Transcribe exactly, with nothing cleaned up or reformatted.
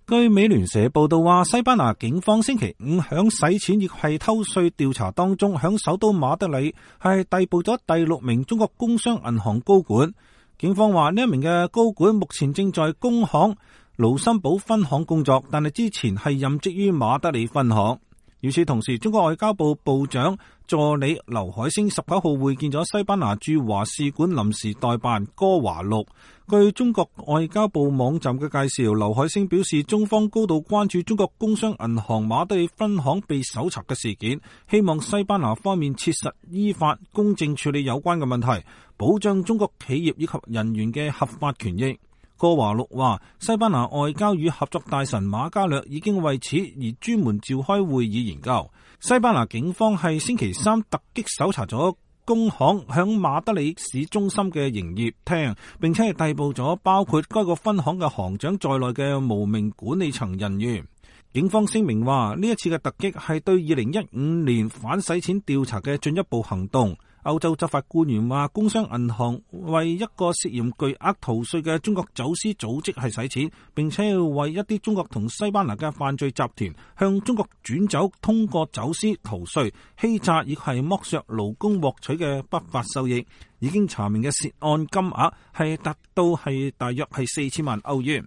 據美聯社報道話，西班牙警方星期五響洗錢亦係偷稅調查當中，響首都馬德里係逮捕咗第六名中國工商銀行高管。警方話呢一名嘅高管目前正在工行盧森堡分行工作，但係之前係任職於馬德里分行。與此同時，中國外交部部長助理劉海星十九號會見咗西班牙駐華使館臨時代辦戈華祿。據中國外交部網站嘅介紹，劉海星表示，中方高度關注中國工商銀行馬德里分行被搜查嘅事件，希望西班牙方面切實依法公正處理有關嘅問題，保障中國企業以及人員嘅合法權益。戈華祿話，西班牙外交與合作大臣馬加略已經為此而專門召開會議研究。西班牙警方係星期三突擊搜查咗工行響馬德里市中心嘅營業廳，並且係逮捕咗包括該個分行嘅行長在內嘅無名管理層人員。警方聲明話，呢一次嘅突擊係對二零一五年反洗錢調查嘅進一步行動。歐洲執法官員話，工商銀行為一個涉嫌巨額逃稅嘅中國走私組織係洗錢，並且要為一啲中國同西班牙嘅犯罪集團向中國轉走通過走私、逃稅、欺詐以及剝削勞工獲取嘅不法收益。已經查明嘅涉案金額係達到係大約係四千萬歐元。